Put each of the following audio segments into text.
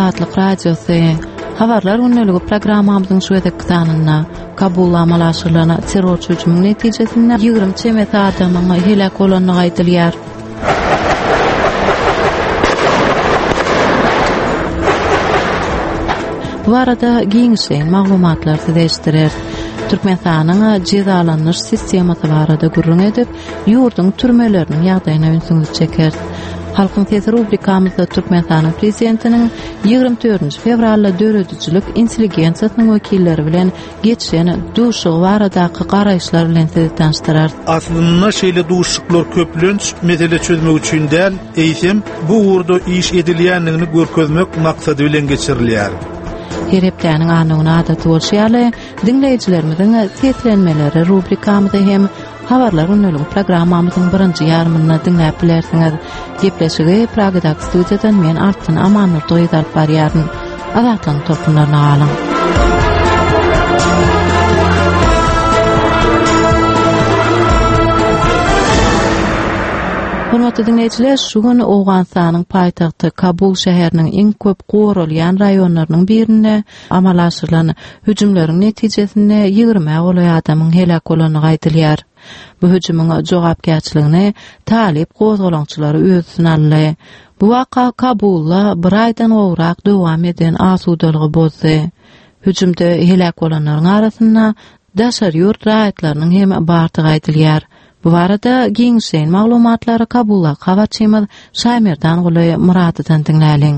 Azatlyk Radiosy. Habarlar gündeligi programmamyzyň şu gezekki sanynda Kabulda amala aşyrylan terrorçy hüjümiň netijesinde 20 çemesi adamyň heläk bolandygy aýdylýar. Bu barada giňişleýin maglumatlary size eşitdireris. Türkmenistanyň jezalandyryş sistemasy barada gürrüň edip, ýurduň türmeleriniň ýagdaýyna ünsüňizi çekeris. Halkyň sesi rubrikamyzda Türkmenistanyň Prezidentiniň 24 fewralda döredijilik intelligensiýasynyň wekilleri bilen geçiren duşuşygy baradaky garaýyşlar bilen sizi tanyşdyrarys. Aslynda şeýle duşuşyklar köplenç mesele çözmek üçin däl, eýsem, bu ugurda iş edilýändigini görkezmek maksady bilen geçirilýär. Her hepdäniň anna güni adaty bolşy ýaly, diňleýjilerimiziň seslenmeleri rubrikamyzy hem Habarlar gündeligi programmamyzyň birinji ýarymynda diňläp bilersiňiz. Gepleşigi Pragadaky studiýadan men Altyn Amannurdy gyz alyp barýaryn. Azatlygyň tolkunlaryna galyň. Hormatly diňleýjiler, şu gün Owganystanyň paýtagty Kabul şäheriniň iň köp goralýan raýonlarynyň birinde Amala aşyrylan hüjümleriň netijesinde ýigrimä golaý adamyň heläk bolandygy aýdylýar. Bu hüjümiň jogapkärçiligini talyp gozgalaňçylary öz üstüne aldy. Bu waka Kabulda bir aýdan gowrak dowam eden asudalygy bozdy. Hüjümde heläk bolanlaryň arasynda daşary ýurt raýatlarynyň hem bardygy aýdylýar. Bu barada giňişleýin maglumatlary Kabuldaky habarçymyz Şaýmerdanguly Myradydan diňläliň.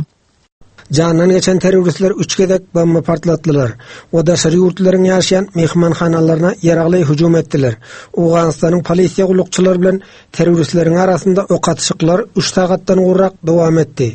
Jandan geçen terroristler üç gezek bomba partlatdylar we daşary ýurtlylaryň ýaşaýan myhmanhanalaryna ýaragly hüjüm etdiler. Owganystanyň polisiýa gullukçylary bilen terroristleriň arasynda ok atyşyklar üç sagatdan gowrak dowam etdi.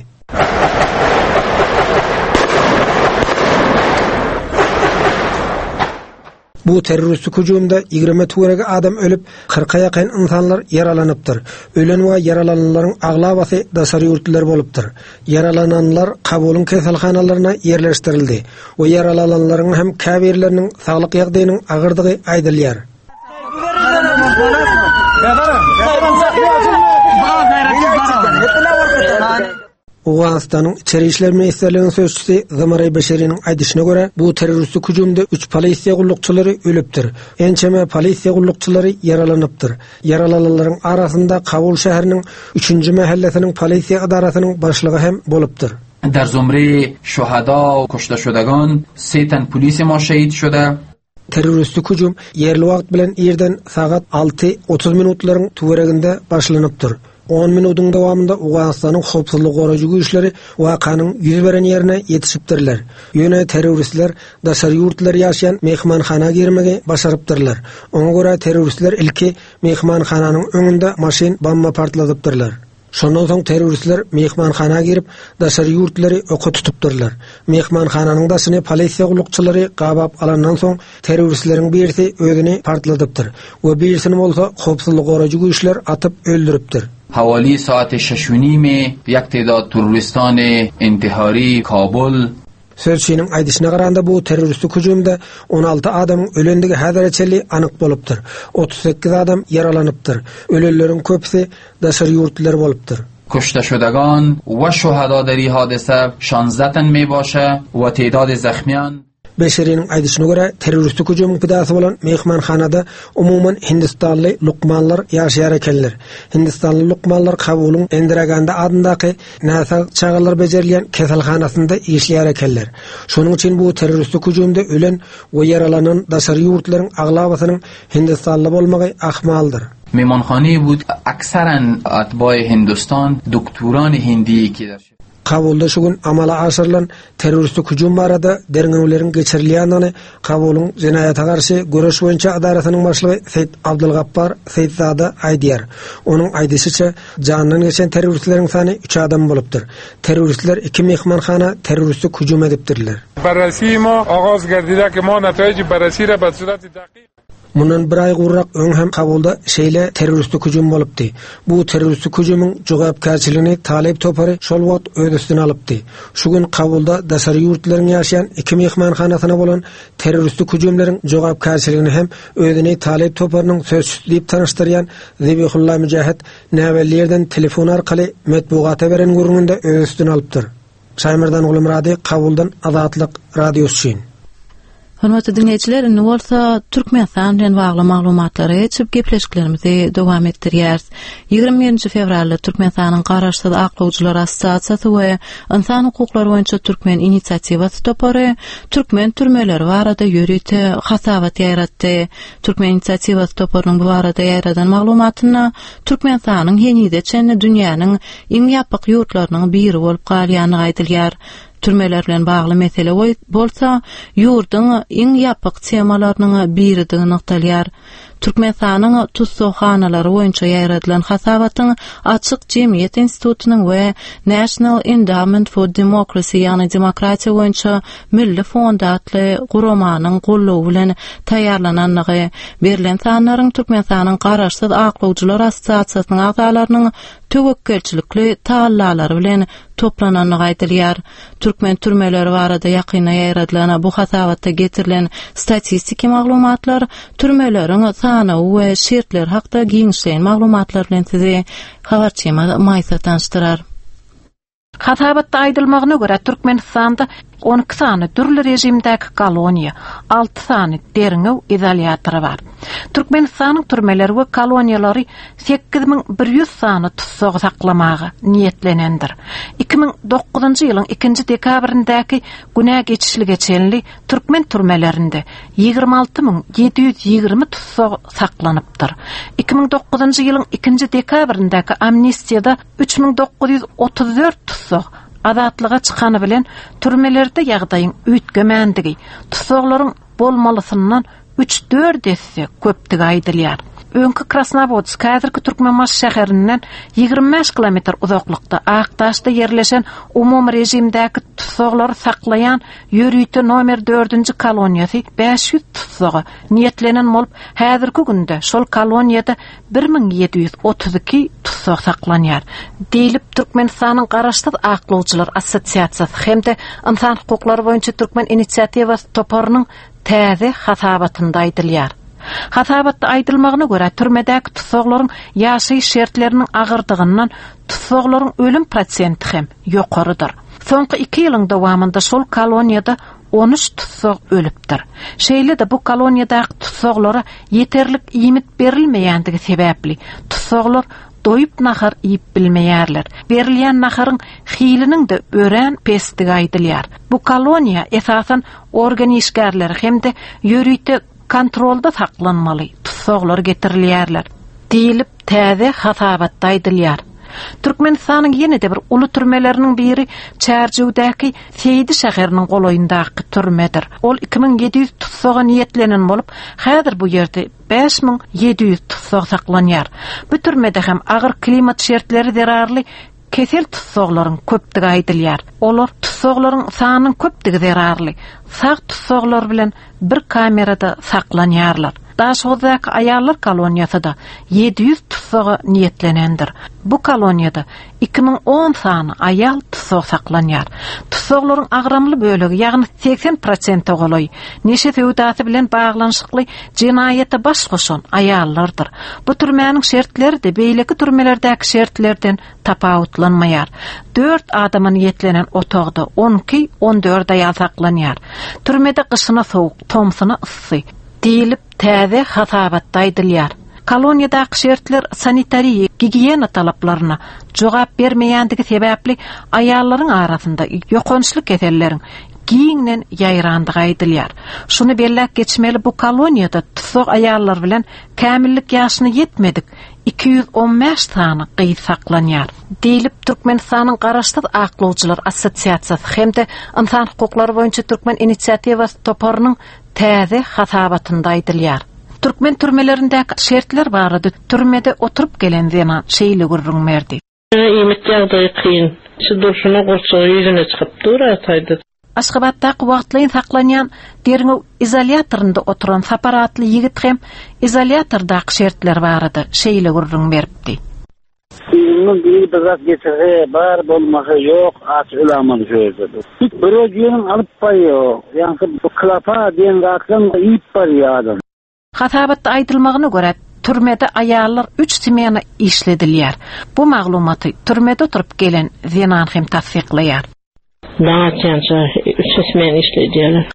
Bu terroristik hüjümde 20 töweregi adam ölüp, kyrka ýakyn ynsanlar ýaralanypdyr. Ölen we ýaralananlaryň aglabasy daşary ýurtlylar bolupdyr. Ýaralananlar Kabulyň keselhanalaryna ýerleşdirildi we ýaralananlaryň hem käbirleriniň saglyk ýagdaýynyň agyrdygy aýdylýar. Owganystanyň Içeri işler ministrliginiň sözçüsi Zamaray Beşeriniň aýdyşyna görä, bu terroristik hüjümde üç polisiýa gullukçylary ölüpdir, ençeme polisiýa gullukçylary ýaralanypdyr. Ýaralananlaryň arasynda Kabul şäheriniň üçünji mähellesiniň polisiýa edarasynyň başlygy hem bolupdyr. در زمره شهدا و کشته شدگان سه تن پلیس ما شهید شده. Terroristik hüjüm ýerli wagt bilen irden sagat 6, 30 minutlaryň töwereginde başlanypdyr. On minudyň dowamynda Owganystanyň howpsuzlygy goraýjy güýçleri wakanyň ýüz beren ýerine ýetişipdirler. Ýöne terroristler daşary ýurtlylar ýaşaýan myhmanhana girmegi başarypdyrlar. Oňa görä terroristler ilki myhmanhananyň öňünde maşyn bomba partladypdyrlar. Şondan soň terroristler myhmanhana girip, daşary ýurtlylary oka tutupdyrlar. Myhmanhananyň daşyny polisiýa gullukçylary gabap alandan soň, terroristleriň birisi özüni partladypdyr we birisini bolsa howpsuzlygy goraýjy güýçler atyp öldüripdir. حوالی ساعت شش و نیم یک تعداد تروریستان انتحاری کابل Sözçiniň aýdyşyna garanda bu terroristik hüjümde 16 adamyň ölendigi häzire çenli anyk bolupdyr. 38 adam ýaralanypdyr. Ölenleriň köpüsi daşary ýurtlylar bolupdyr. کشته شدگان و شهدا در این حادثه 16 تن می باشه و تعداد زخمیان Beşeriniň aýdyşyna görä, terroristik hüjümiň pidasy bolan myhmanhanada umuman hindistanly lukmanlar ýaşaýar ekenler. Hindistanly lukmanlar Kabulyň Indira Gandi adyndaky näsag çagalar bejerilýän keselhanasynda işleýär ekenler. Şonuň üçin bu terroristik hüjümde ölen we ýaralanan daşary ýurtlaryň aglabasynyň hindistanly bolmagy ahmaldyr. Mehmanhane bud aksaran atbae Hindustan doktoran Hindi ki dar Kabulda şu gün amala aşyrylan terroristik hüjüm barada derňewleriň geçirilýändigini Kabulyň jenaýata garşy göreş boýunça edarasynyň başlygy Seýit Abdulgapbar Seýitzada aýdýar. Onuň aýdyşyça, jandan geçen terroristleriň sany üç adam bolupdyr. Terroristler iki myhmanhana terroristik hüjüm edipdirler. Barrasi ma agaz gerdide ki ma netaiji barrasi ra be surati daqiq. Mundan bir aý gowrak öň hem Kabulda şeýle terroristik hüjüm bolupdy. Bu terroristik hüjümiň jogapkärçiligini Talyp topary şol wagt öz üstüne alypdy. Şu gün Kabulda daşary ýurtlylaryň ýaşaýan iki myhmanhanasyna bolan terroristik hüjümleriň jogapkärçiligini hem özüni Talyp toparynyň sözçüsi diýip tanyşdyrýan Zebihulla Müjahid näbelli ýerden telefon arkaly metbugata beren gürrüňinde öz üstüne alypdyr. Şaýmerdan Gulmyrady, Kabuldan Azatlyk Radiosy üçin. Hormatly diňleýjiler, indi bolsa Türkmenistan bilen bagly maglumatlara geçip, gepleşiklerimizi dowam etdirýäris. 21-nji fewralda Türkmenistanyň Garaşsyz aklawjylar assosiasiýasy we Ynsan hukuklary boýunça Türkmen inisiatiwasy topary türkmen türmeleri barada ýörite hasabat ýaýratdy. Türkmen inisiatiwasy toparynyň bu barada ýaýradan maglumatynda Türkmenistanyň henize çenli dünýäniň iň ýapyk ýurtlarynyň biri bolup galýandygy aýdylýar. Türmeler bilen bagly mesele bolsa ýurduň iň ýapyk temalarynyň biridigi nygtalýar. Türkmenistanyň tussaghanalary boýunça ýaýradylan hasabatyň Açyk jemgyýet institutynyň we National Endowment for Democracy ýagny Demokratiýa boýunça Milli fond atly guramanyň goldawy bilen taýýarlanandygy, berlen sanlaryň Türkmenistanyň Garaşsyz aklawjylar assosiasiýasynyň agzalarynyň töwekgelçilikli tagallalary bilen toplanandygy aýdylýar. Türkmen türmeleri barada ýakynda ýaýradylan bu hasabatda getirilen statistiki maglumatlar, türmeleriň sanawy we şertleri hakda giňişleýin maglumatlar bilen sizi habarçymyz Maýsa tanyşdyrar. Hasabatda aýdylmagyna görä, Türkmenistanda 12 sany dürli režimdäki koloniýa, 6 sany derňew izolýatory bar. Türkmenistanyň türmeleri we koloniýalary 8100 sany tussagy saklamaga niýetlenendir. 2009-njy ýylyň ikinji dekabryndaky günä geçişlige çenli türkmen türmelerinde 26720 tussag saklanypdyr. 2009-njy ýylyň ikinji dekabryndaky amnistiýada 3934 tussag azatlyga çykany bilen türmelerde ýagdaýyň üýtgemändigi, tussaglaryň bolmalysyndan üç-dört esse köpdügi aýdylýar. Öňki Krasnowodsk, häzirki Türkmenbaşy şäherinden 25 kilometr uzaklykda Akdaşda ýerleşen umumy režimdäki tussaglary saklaýan ýörite nomer dördünji koloniýasy 500 tussaga niýetlenen bolup, häzirki günde şol koloniýada 1732 tussag saklanýar, diýlip, Türkmenistanyň Garaşsyz aklawçylar assosiasiýasy hem-de Ynsan hukuklary boýunça Türkmen inisiatiwasy toparynyň täze hasabatynda aýdylýar. Hasabatda aýdylmagyna görä, türmedäki tussaglaryň ýaşaýyş şertleriniň agyrdygyndan tussaglaryň ölüm prosenti hem ýokarydyr. Soňky iki ýylyň dowamynda şol koloniýada 13 tussag ölüpdir. Şeýle-de bu koloniýadaky tussaglara ýeterlik iýmit berilmeýändigi sebäpli, tussaglar doýup nahar iýip bilmeýärler. Berilýän naharyň hiliniň-de örän pesdigi aýdylýar. Bu koloniýa esasan organ işgärleri hem-de ýörite kontrolda saklanmaly tussaglar getirilýärler, diýlip, täze hasabatda aýdylýar. Türkmenistanyň ýene-de bir uly türmeleriniň biri Çärjewdäki Seýdi şäheriniň golaýyndaky türmedir. Ol 2700 tussaga niýetlenen bolup, häzir bu ýerde 5700 tussag saklanýar. Bu türmede hem agyr klimat şertleri zerarly kesel tussaglaryň köpdügi aýdylýar. Olar tussaglaryň sanynyň köpdügi zerarly sag tussaglar bilen bir kamerada saklanýarlar. Daşoguzdaky aýallar koloniýasy-da 700 tussaga niýetlenendir. Bu koloniýada 2010 sany aýal tussag saklanýar. Tussaglaryň agramly bölegi, ýagny 80 prosente golaýy, neşe söwdasy bilen baglanyşykly jenaýata baş goşan aýallardyr. Bu türmäniň şertleri-de beýleki türmelerdäki şertlerden tapawutlanmaýar. Dört adama niýetlenen otagda on iki, on dört aýal saklanýar. Türmede gyşyna sowuk, tomsuna yssy, diýlip, täze hasabatda aýdylýar. Koloniýadaky şertler sanitariýa, gigiýena talaplaryna jogap bermeýändigi sebäpli aýallaryň arasynda ýokançly keselleriň giňden ýaýrandygy aýdylýar. Şuny belläp geçmeli, bu koloniýada tussag aýallar bilen kämillik ýaşyna ýetmedik 215 sany gyz saklanýar, diýlip, Türkmenistanyň Garaşsyz aklawçylar assosiasiýasy hem-de Ynsan hukuklary boýunça Türkmen inisiatiwasy toparynyň täze hasabatynda aýdylýar. Türkmen türmelerindäki şertler barada türmede oturyp gelen zenan şeýle gürrüň berdi. Iýmit ýagdaýy kyn. Şu durşuna gurçugy ýüzüne çykyp dur ataýdy. Aşgabatdaky wagtlaýyn saklanýan derňew izolýatorynda oturan Sapar atly ýigit hem izolýatordaky şertler barada şeýle gürrüň beripdi. Yzyňdan biri bir zat getirse bar bolmasa ýok aç ölämeli şu ýerde. Hiç bir ýeriň alyp barýok. Ýaňky bu klapa diýen zatlaň iýip barýar adam. Hasabatda aýdylmagyna görä, türmede aýallar üç smena işledilýär. Bu maglumaty türmede oturyp gelen zenan hem tassyklaýar. Daň atýança üç smen işledýärler.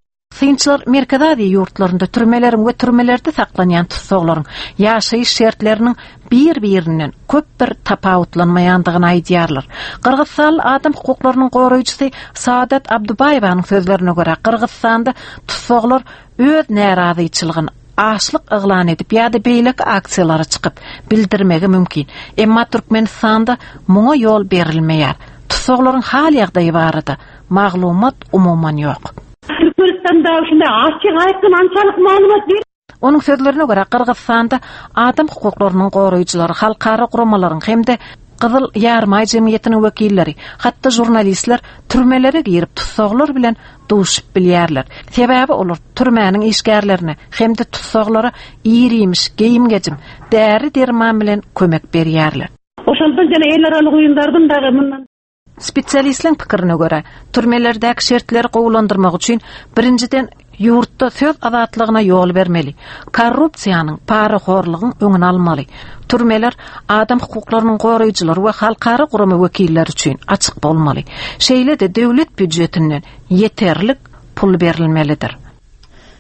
Synçylar Merkezi Aziýa ýurtlarynda türmeleriň we türmelerde saklanýan tussaglaryň ýaşaýyş şertleriniň bir-birinden köp bir tapawutlanmaýandygyny aýdýarlar. Gyrgyzystanly adam hukuklarynyň goraýjysy Saadat Abdubaýewanyň sözlerine görä, Gyrgyzystanda tussaglar öz närazyçylygyny açlyk yglan edip ýa-da beýleki aksiýalara çykyp bildirmegi mümkin. Emma Türkmenistanda muňa ýol berilmeýär. Tussaglaryň hal-ýagdaýy barada maglumat umuman ýok. Türkmenistanda şunday açyk aýdyň ançalyk maglumat ber. Onuň sözlerine görä, Gyrgyzystanda adam hukuklarynyň goraýjylary, halkara guramalaryň hem-de Gyzyl Ýarymaý jemgyýetiniň wekilleri, hatda žurnalistler türmelere girip tussaglar bilen duşup bilýärler. Sebäbi olar türmäniň işgärlerine hem-de tussaglara ir-iýmiş, geýim-gejim, däri-derman bilen kömek berýärler. Oşondan jana el aralyk uýundardyň dagy mundan. Spesialistleriň pikirine görä, türmelerdäki şertleri gowulandyrmak üçin, birinjiden, ýurtda söz azatlygyna ýol bermeli, korrupsiýanyň, parahorlugyň öňüni almaly. Türmeler adam hukuklarynyň goraýjylary we halkara gurama wekilleri üçin açyk bolmaly. Şeýle-de döwlet býujetinden ýeterlik pul berilmelidir.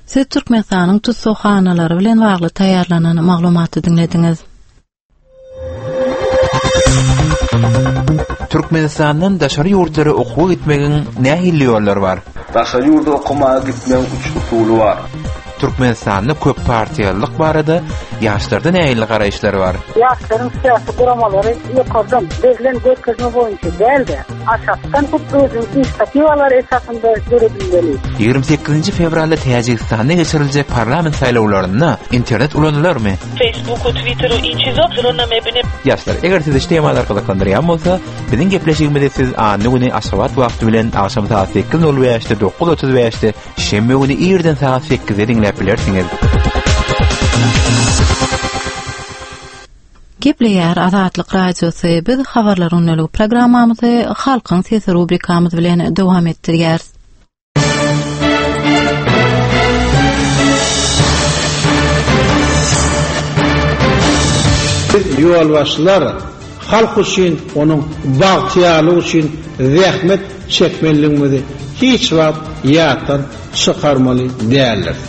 Siz Türkmenistanyň tussaghanalary bilen bagly taýýarlanan maglumaty diňlediňiz. Türkmenistandan daşary ýurtlara okuwa gitmegiň nähili ýollary bar? Daşary ýurda okamaga gitmegiň üç usuly bar. Türkmenistanda köp partiýalylyk barada ýaşlarda nähili garaýyşlar bar? Ýaşlaryň syýasy guramalary ýokardan berlen görkezme boýunça däl-de, aşakdan hut özüniň inisiatiwalary esasynda döredilmeli. 28-nji fewralda Täjigistanda geçiriljek parlament saýlawlarynda internet ulanylarmy? Facebooku, Twitteru iç çizo zrona mebine. Ýaşlar, eger sizi şu temalar gyzyklandyrýan bolsa, biziň gepleşigimizi siz anna güni Aşgabat wagty bilen agşam sagat 8:05-de, 9:35-de, şenbe güni irden sagat 8-de diňläp bilersiňiz. Gepleýär Azatlyk Radiosy, biz habarlar gündeligi programmamyzy Halkyň sesi rubrikamyz bilen dowam etdirýäris. Biz ýolbaşçylar halk üçin, onuň bagtyýarlygy üçin zähmet çekmelidigimizi hiç wagt ýatdan çykarmaly däldiris.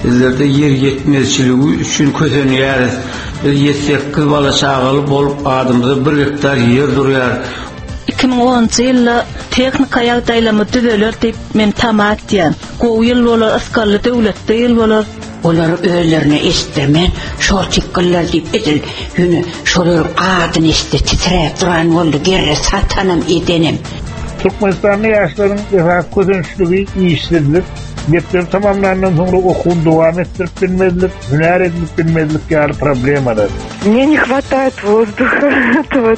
Bizlerde ýer ýetmezçiligi üçin kösenýäris. Biz ýedi-sekiz bala-çagaly bolup, adymyza bir gektar ýer durýar. 2010-njy ýylda tehnika ýagdaýlarymyz düzeler diýip men tama etýän. Gowy ýyl bolar, ysgally döwletli ýyl bolar. Olar özlerine eşitdirmän şor çykgynlar diýip edil ýöne şolaryň adyny eşitse titräp duran boldy gerre satanam edenem. Türkmenistanda ýaşlaryň esasy kösençligi işsizlik, mekdebi tamamlandan soňra okuwyny dowam etdirip bilmezlik, hünär edinip bilmezlik ýaly problemalar. Мне не хватает воздуха этого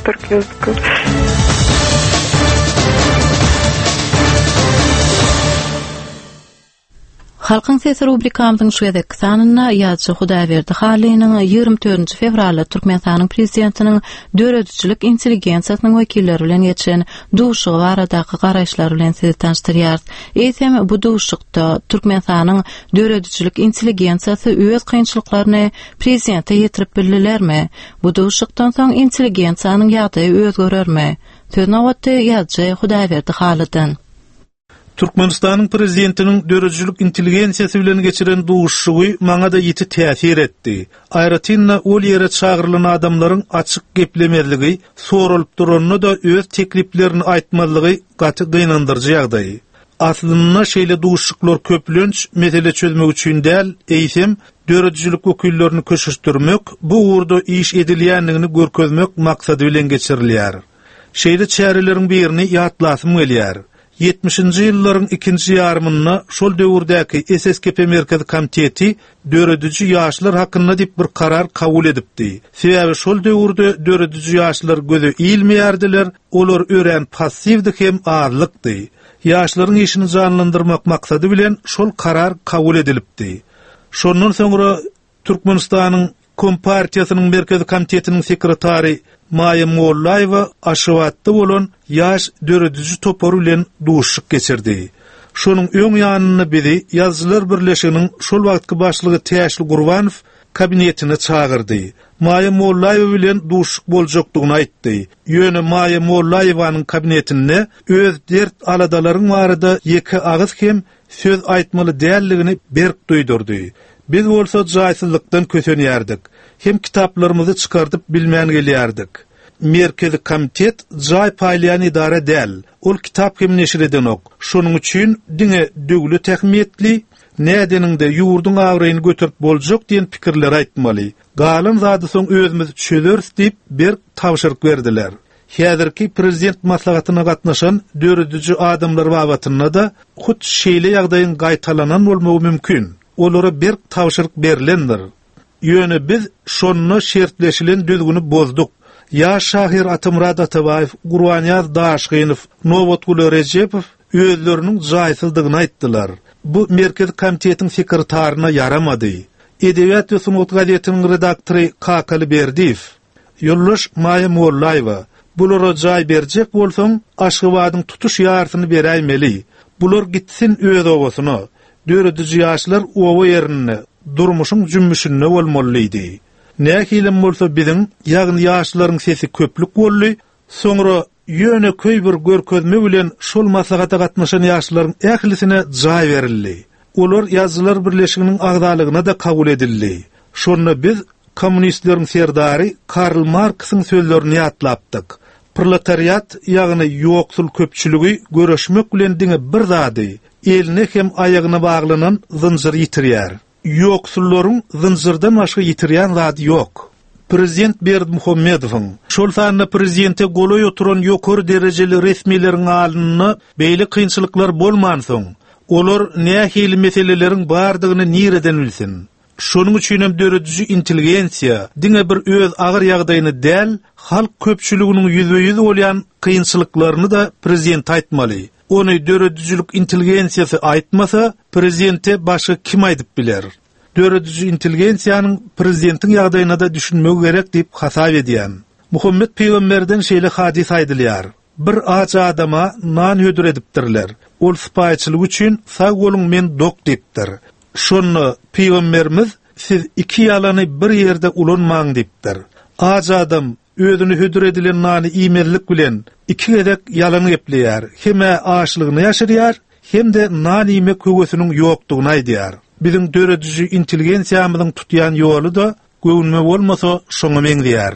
Halkyň sesi rubrikamyzyň şu gezekki sanynda ýazyjy Hudaýberdi Hallynyň 24 fewralda Türkmenistanyň Prezidentiniň döredijilik intelligensiýasynyň wekilleri bilen geçiren duşuşygy baradaky garaýyşlary bilen sizi tanyşdyrýarys. Eýsem, bu duşuşykda Türkmenistanyň döredijilik intelligensiýasy öz kynçylyklaryny Prezidente ýetirip bildilermi? Bu duşuşykdan soň intelligensiýanyň ýagdaýy özgerermi? Söz nobatda ýazyjy Hudaýberdi Halydan. Türkmenistanyň Prezidentiniň döredijilik intelligensiýasy bilen geçiren duşuşygy maňa-da ýiti täsir etdi. Aýratyn-da, ol ýere çagyrylan adamlaryň açyk geplemezligi, soralyp duranda-da öz tekliplerini aýtmazlygy gaty gynandyryjy ýagdaý. Aslynda şeýle duşuşyklar köplenç mesele çözmek üçin däl, eýsem, döredijilik wekillerini köşeşdirmek, bu ugurda iş edilýändigini görkezmek maksady bilen geçirilýär. Şeýle çäreleriň birini ýatlasym gelýär. Ýetmişinji ýyllaryň ikinji ýarymynda şol döwürdäki SSKP Merkezi Komiteti dörediji ýaşlar hakynda diýip bir karar kabul edipdi. Sebäbi şol döwürde dörediji ýaşlar göze ilmeýärdiler, olar örän passiwdi hem azlykdy. Ýaşlaryň işini janlandyrmak maksady bilen şol karar kabul edilipdi. Şondan soňra Türkmenistanyň Kompartiýasynyň Merkezi Komitetiniň sekretary Maýa Mollaýewa Aşgabatda bolan ýaş dörediji topary bilen duşuşyk geçirdi. Şonuň öň ýanynda bizi Ýazyjylar birleşiginiň şol wagtky başlygy Täşli Gurbanow. kabinetine çagyrdy. Maýa Mollaýewa bilen duşuşyk boljakdygyny aýtdy. Ýöne Maýa Mollaýewanyň kabinetinde öz dert-aladalaryň barada ýeke agyz hem söz aýtmaly däldigini berk duýdurdy. Biz bolsa jaýsyzlykdan kösenýärdik. Hem kitaplarymyzy çykardyp bilmän gelýärdik. Merkezi komitet jaý paýlaýan edara däl. Ol kitap hem neşir edenok. Şonuň üçin diňe döwlet ähmiýetli, nädeniňde ýurduň abraýyny göterip boljak diýen pikirleri aýtmaly. Galan zady soň özümiz çözeris diýip berk tabşyryk berdiler. Häzirki prezident maslahatyna gatnaşan dörediji adamlar babatynda-da hut şeýle ýagdaýyň gaýtalanan bolmagy mümkin. Olara berk tabşyryk berlendir. Ýöne biz şonda şertleşilen düzgüni bozduk. Ýaş şahyr Atamyrat Atabaýew, Gurbanýaz Daşgynow, Nobatguly Rejepow özleriniň jaýsyzdygyny aýtdylar. Bu Merkezi komitetiň sekretaryna ýaramady. Edebiýat we sungat gazetiniň redaktory Kakaly Berdiýew, Ýoldaş Maýa Mollaýewa, bulara jaý berjek bolsaň, Aşgabadyň tutuş ýarysyny beräýmeli. Bular gitsin öz obasyna. Dörediji ýaşlar oba ýerinde, durmuşyň jümmüşinde bolmaly diýdi. Nähilem bolsa biziň, ýagny ýaşlaryň sesi köplük boldy, soňra ýönekeý bir görkezme bilen şol maslahata gatnaşan ýaşlaryň ählisine jaý berildi. Olar Ýazyjylar birleşiginiň agzalygyna-da kabul edildi. Şonda biz kommunistleriň serdary Karl Marksyň sözlerini ýatlapdyk. Proletariat, ýagny ýoksul köpçüligi göreşmek bilen diňe bir zady, eline hem aýagyna baglanan zynjyry ýitirýär. Ýoksullaryň zynjyrdan başga ýitirýän zady ýok. Prezident Berdimuhamedowyň, şol sanda prezidente golaý oturan ýokary derejeli resmileriň alnynda beýle kynçylyklar bolmansoň, olar nähili meseleleriň bardygyny nireden bilsin? Şonuň üçinem dörediji intelligensiýa diňe bir öz agyr ýagdaýyny däl, halk köpçüliginiň ýüzbe-ýüz bolýan kynçylyklaryny-da prezidente aýtmaly. Ony döredijilik intelligensiýasy aýtmasa, prezidente başga kim aýdyp biler? Dörediji intelligensiýanyň prezidentiň ýagdaýyna-da düşünmegi gerek diýip hasap edýän. Muhammet pygamberden şeýle hadys aýdylýar, Bir aç adama nan hödür edipdirler. Ol sypaýyçylyk üçin sag boluň men dok diýipdir. Şonda pygamberimiz siz iki ýalany bir ýerde ulanmaň diýipdir. Aç adam özüne hödür edilen nany iýmezlik bilen iki gezek ýalan gepleýär, hem-ä açlygyny ýaşyrýar, hem-de nan iýmek höwesiniň ýokdugyny aýdýar. Biziň dörediji intelligensiýamyzyň tutýan ýoly-da Göwnüme bolmasa, şoňa meňzeýär.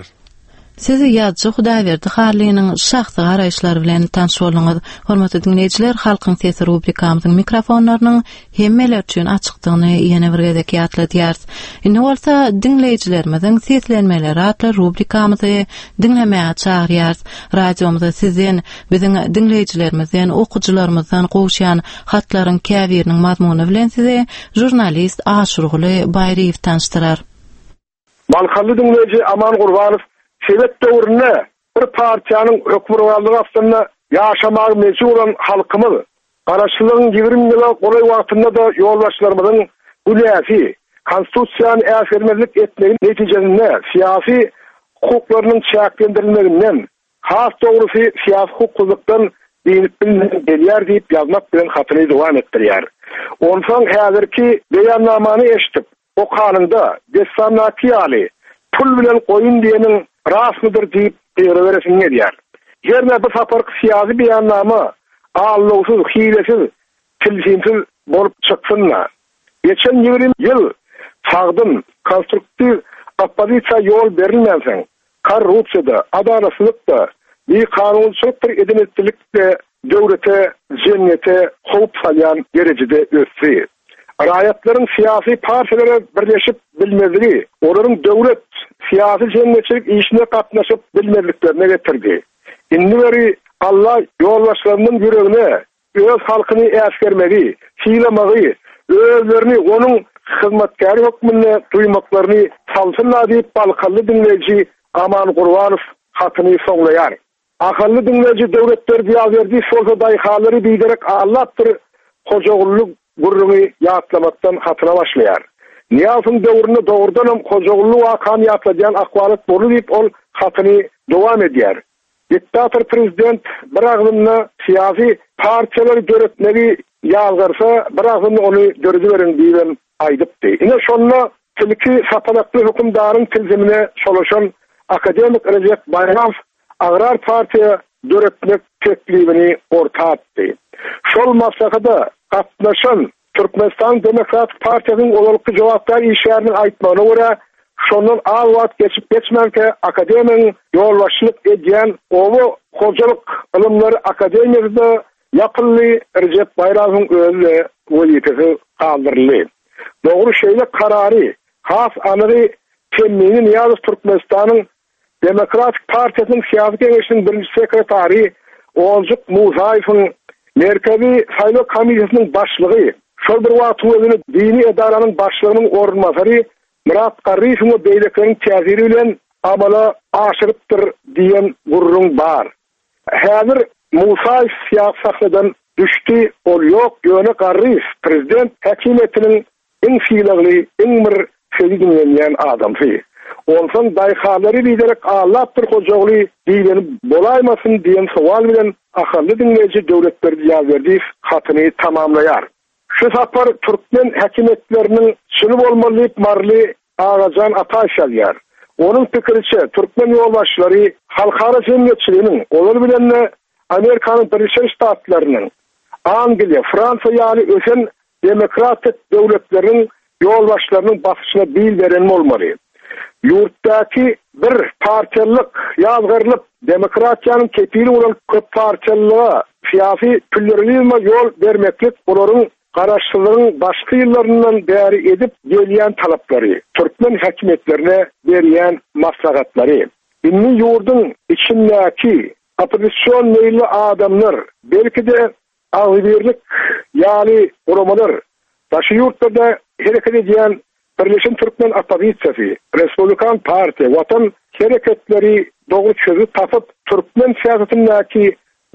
Siz ýazyjy Hudaýberdi Hallynyň şahsy garaýyşlary bilen tanyş bolduňyz. Hormatly diňleýjiler, Halkyň sesi rubrikamyzyň mikrofonlarynyň hemmeler üçin açykdygyny ýene bir gezek ýatladýarys. Indi bolsa diňleýjilerimiziň seslenmeleri atly rubrikamyzy diňlemäge çagyrýarys. Radiomyza sizden, biziň diňleýjilerimizden, okyjylarymyzdan gowuşýan hatlaryň käbiriniň mazmuny bilen sizi žurnalist Aşyrguly Baýryýew tanyşdyrar. Balkanly diňleýji Aman Gurbanow sowet döwründe bir partiýanyň hökmürowanlygy astynda ýaşamaga mejbur bolan halkymyz Garaşsyzlygyň 20 ýyla golaý wagtynda-da ýolbaşçylarymyzyň günäsi, Konstitusiýany äsgermezlik etmegi netijesinde syýasy hukuklarynyň çäklendirilmeginden, Has dogrusy, syýasy hukuksyzlykdan dynyp bilmän gelýär diýip ýazmak bilen hatyny dowam etdirýär. Onsoň häzirki beýannamany eşidip, okanyňda, dessandaky ýaly, pul bilen goýun diýeniň rastmydyr diýip gygyryberesiň gelýär. Hernä bu saparky syýasy beýannama aldawsyz, hilesiz, tilsimsiz bolup çyksyn-da. Geçen 20 ýyl sagdyn, konstruktiw oppozisiýa ýol berilmänsoň, korrupsiýa-da, adalatsyzlyk-da, bikanunçylykdyr eden-etdilik-de döwlete, jemgyýete howp salýan derejede ösdi. Raýatlaryň syýasy partiýalara birleşip bilmezligi olaryň döwlet, syýasy-jemgyýetçilik işine gatnaşyp bilmezliklerine getirdi. Indi weri Alla ýolbaşçylarymyzyň ýüregine öz halkyny äsgermegi, sylamagy, özlerini onuň hyzmatkäri hökmünde duýmaklaryny salsyn-da diýip, balkanly diňleýji Aman Gurbanow hatyny soňlaýar. Ahally diňleýji Döwletberdi Ýazberdiýew bolsa daýhanlary biderek aldapdyr, Hojagully gürrüňi ýatlamakdan hatyna başlaýar. Nyýazowyň döwründe dogrudanam Hojagully wakany ýatladýan ahwalat boldy diýip ol hatyny dowam edýär. Diktator prezident bir agzynda syýasy partiýalary döretmegi ýazgarsa, bir agzynda ony dörediberiň diýibem aýdypdy. Ine şonda. Tilki sapalakly hökümdaryň tilsimine çolaşan akademik Rejep Baýramow Agrar partiýa döretmek teklibini orta atdy. Şol maslahata gatnaşan Türkmenistanyň Demokratik partiýasynyň ozalky jogapkär işgäriniň aýtmagyna görä, şondan az wagt geçip-geçmänkä akademigiň ýolbaşçylyk edýän Oba hojalyk ylymlary akademiýasy-da ýapyldy, Rejep Baýramowyň özi-de wezipesiz galdyryldy. Dogry şeýle karary, has anygy temmini Nyýazow Türkmenistanyň Demokratik partiýasynyň syýasy geňeşiniň birinji sekretary Onjuk Musaýewiň, Merkezi saýlaw komissiýasynyň başlygy, şol bir wagtyň özünde dini edaranyň başlygynyň orunbasary Myrat Garryýewiň we beýlekileriň täsiri bilen amala aşyrypdyr diýen gürrüň bar. Häzir Musaýew syýasy sahnadan düşdi, ol ýok, ýöne Garryýew prezident häkimiýetiniň Iň sylagly, iň bir sözi diňlenýän adamsy. Onsoň daýhanlary biderek aldapdyr Hojaguly diýleni bolaýmasyn diýen sowal bilen ahally diňleýji Döwletberdi Ýazberdiýew hatyny tamamlaýar. Şu sapar türkmen häkimiýetleriniň çyny bolmaly diýip maryly Agajan Ataýew ýazýar. Onuň pikiriçe, türkmen ýolbaşçylary halkara jemgyýetçiliginiň, ozaly bilen-de Amerikanyň Birleşen Ştatlarynyň, Angliýa, Fransiýa ýaly ösen demokratik döwletleriň ýolbaşçylarynyň basyşyna bil beren bolmaly. Ýurtdaky bir partiýalylyk ýazgarylyp, demokratiýanyň kepili bolan köppartiýalylyga, syýasy plýuralizme ýol bermeklik olaryň garaşsyzlygyň başky ýyllaryndan bäri edip gelýän talaplary, türkmen häkimiýetlerine berýän maslahatlary. Indi ýurduň içindäki oppozision meýilli adamlar, belki-de, Agzybirlik ýaly guramalar, daşary ýurtlarda hereket edýän Birleşen türkmen oppozisiýasy, Respublikan partiýa, Watan hereketleri dogry çözgüt tapyp, türkmen syýasatyndaky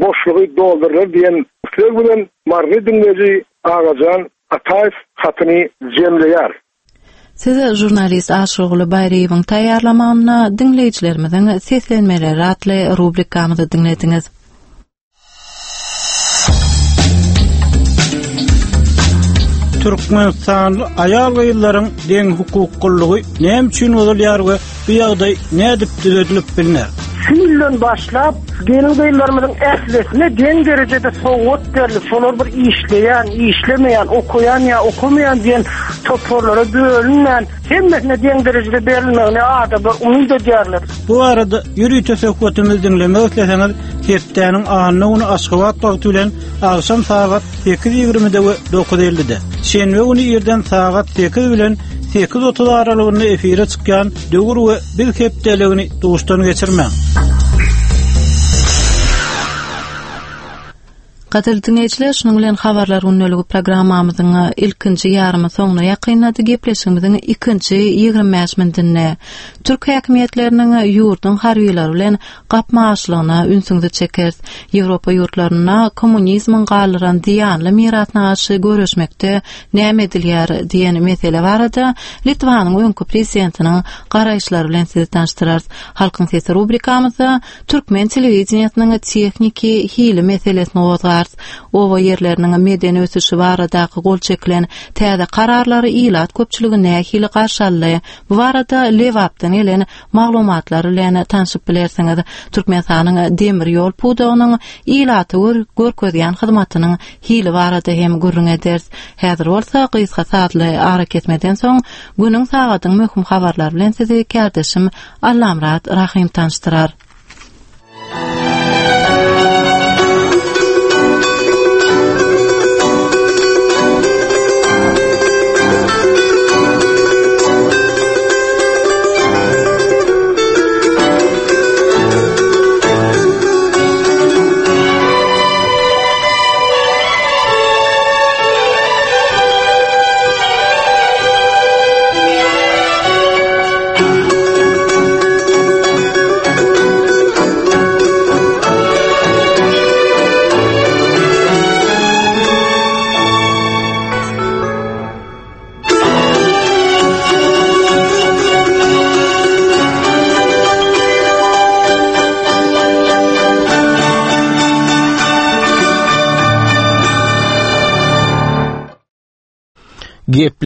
boşlugy doldurlar diýen isleg bilen maryly diňleýji Agajan Ataýew hatyny jemleýär. Siz žurnalist Aşyrguly Baýryýewiň taýýarlamagynda Diňleýjilerimiziň seslenmeleri atly rubrikamyzy diňlediňiz. Türkmenistanly aýal-gyzlaryň deňhukuklylygy näme üçin bozulýar we bu ýagdaý nädip düzedilip bilner? Şu ýyldan başlap, gelin-gyzlarymyzyň ählisine deň derejede sowgat berlip, şolar bir işleýän, işlemeýän, okaýan ýa okamaýan diýen toparlara bölünmän, hemmesine deň derejede berilmegini adamlar umyt edýärler. Bu barada ýörite söhbetimizi diňlemek isleseňiz, hepdäniň anna güni Aşgabat wagty bilen agşam sagat 8:20-de we 9:50-de, şenbe güni irden sagat 8 bilen 8:30 aralygynda efire çykýan Döwür we biz hepdeligini duşdan geçirmäň. Gadyrly diňleýjiler, şunuň bilen Habarlar gündeligi programmamyzyň ilkinji ýarymy soňuna ýakynlady. Gepleşigimiziň ikinji 25 minutynda türk häkimiýetleriniň ýurduň harbylary bilen gapma-garşylygyna ünsüňizi çekeris. Ýewropa ýurtlarynda kommunizmiň galdyran zyýanly mirasyna garşy göreşmekde näme edilýär diýen mesele barada Litwanyň öňki prezidentiniň garaýyşlary bilen sizi tanyşdyrarys. Halkyň sesi rubrikamyzda türkmen telewideniýesiniň tehniki hili meselesini gozgarys. Oba ýerleriniň medeni ösüşi baradaky gol çekilen täze kararlary ilat köpçüligi nähili garşy aldy? Bu barada Lebapdan gelen maglumatlar bilen tanşyp bilersiňiz. Türkmenistanyň demir ýol pudagynyň ilata görkezýän hyzmatynyň hili barada hem gürrüň ederis. Häzir bolsa gysga sazly arakesmeden soň günüň sagadyň möhüm habarlary bilen sizi kärdeşim Allamyrat Rahym tanyşdyrar.